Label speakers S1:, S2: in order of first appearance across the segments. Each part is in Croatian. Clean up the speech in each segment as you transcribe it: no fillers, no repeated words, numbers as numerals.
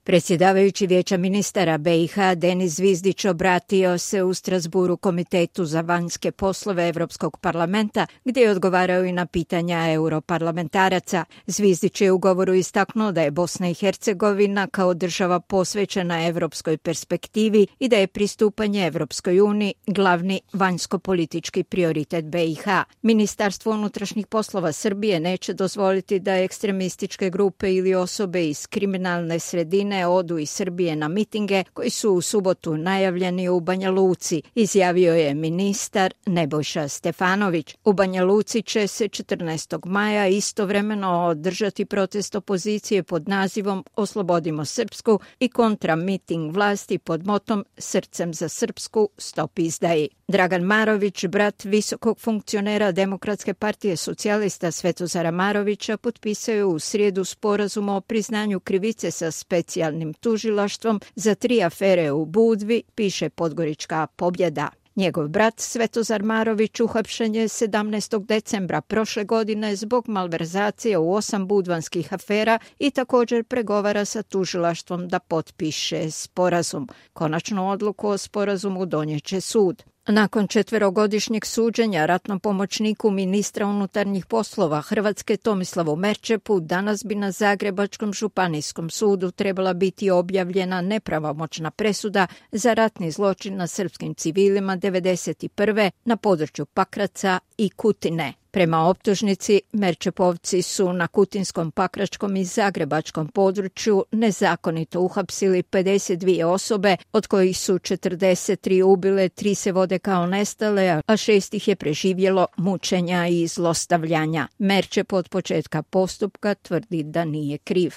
S1: Predsjedavajući Vijeća ministara BiH Denis Zvizdić obratio se u Strasburu Komitetu za vanjske poslove Europskog parlamenta, gdje je odgovarao i na pitanja europarlamentaraca. Zvizdić je u govoru istaknuo da je Bosna i Hercegovina kao država posvećena europskoj perspektivi i da je pristupanje Europskoj uniji glavni vanjsko-politički prioritet BiH. Ministarstvo unutrašnjih poslova Srbije neće dozvoliti da ekstremističke grupe ili osobe iz kriminalne sredine odu iz Srbije na mitinge koji su u subotu najavljeni u Banja Luci, izjavio je ministar Nebojša Stefanović. U Banja Luci će se 14. maja istovremeno održati protest opozicije pod nazivom Oslobodimo Srpsku i kontramiting vlasti pod motom Srcem za Srpsku, stop izdaji. Dragan Marović, brat visokog funkcionera Demokratske partije socijalista Svetozara Marovića, potpisao je u srijedu sporazum o priznanju krivice sa specijalnim tužilaštvom za 3 afere u Budvi, piše Podgorička Pobjeda. Njegov brat Svetozar Marović uhapšen je 17. decembra prošle godine zbog malverzacije u 8 budvanskih afera i također pregovara sa tužilaštvom da potpiše sporazum. Konačnu odluku o sporazumu donijeće sud. Nakon 4-godišnjeg suđenja ratnom pomoćniku ministra unutarnjih poslova Hrvatske Tomislavu Merčepu, danas bi na Zagrebačkom županijskom sudu trebala biti objavljena nepravomoćna presuda za ratni zločin na srpskim civilima 1991. na području Pakraca i Kutine. Prema optužnici, Merčepovci su na kutinskom, pakračkom i zagrebačkom području nezakonito uhapsili 52 osobe, od kojih su 43 ubile, 3 se vode kao nestale, a 6 ih je preživjelo mučenja i zlostavljanja. Merčep od početka postupka tvrdi da nije kriv.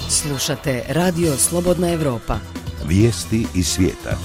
S2: Slušate Radio Slobodna Evropa.
S3: Vijesti iz svijeta.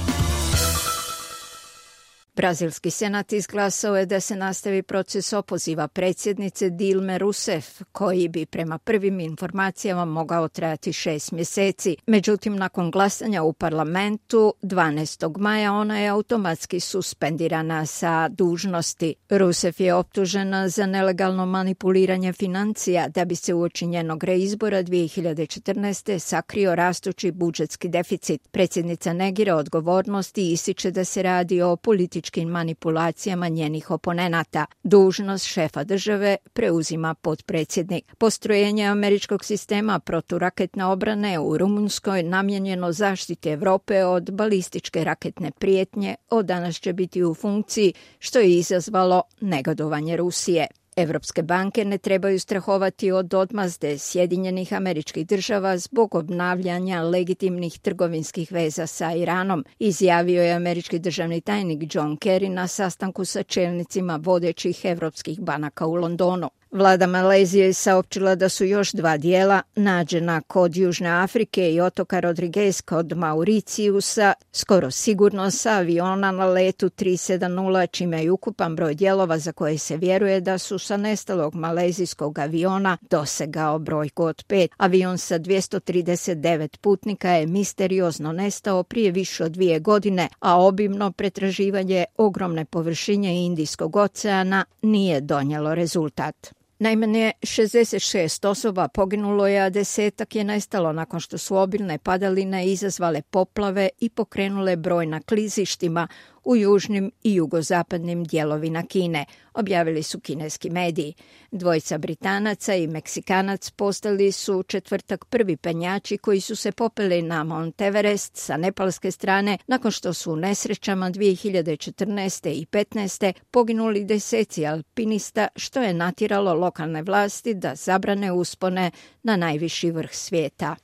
S1: Brazilski senat izglasao je da se nastavi proces opoziva predsjednice Dilme Rousseff, koji bi prema prvim informacijama mogao trajati 6 mjeseci. Međutim, nakon glasanja u parlamentu 12. maja ona je automatski suspendirana sa dužnosti. Rousseff je optužena za nelegalno manipuliranje financija da bi se uoči njenog reizbora 2014. sakrio rastući budžetski deficit. Predsjednica negira odgovornosti i ističe da se radi o političkim manipulacijama njenih oponenata. Dužnost šefa države preuzima potpredsjednik. Postrojenje američkog sistema proturaketne obrane u Rumunjskoj namijenjeno zaštiti Europe od balističke raketne prijetnje od danas će biti u funkciji, što je izazvalo negodovanje Rusije. Evropske banke ne trebaju strahovati od odmazde Sjedinjenih Američkih Država zbog obnavljanja legitimnih trgovinskih veza sa Iranom, izjavio je američki državni tajnik John Kerry na sastanku sa čelnicima vodećih evropskih banaka u Londonu. Vlada Malezije je saopćila da su još 2 dijela nađena kod Južne Afrike i otoka Rodriguez kod Mauricijusa skoro sigurno sa aviona na letu 370, čime je ukupan broj dijelova za koje se vjeruje da su sa nestalog malezijskog aviona dosegao brojku od 5. Avion sa 239 putnika je misteriozno nestao prije više od 2 godine, a obimno pretraživanje ogromne površine Indijskog oceana nije donijelo rezultat. Najmanje 66 osoba poginulo je, a 10-ak je nestalo nakon što su obilne padaline izazvale poplave i pokrenule brojna klizištima u južnim i jugozapadnim dijelovima Kine, objavili su kineski mediji. 2 Britanaca i Meksikanac postali su u četvrtak prvi penjači koji su se popeli na Mount Everest sa nepalske strane nakon što su u nesrećama 2014. i 2015. poginuli deseci alpinista, što je natjeralo lokalne vlasti da zabrane uspone na najviši vrh svijeta.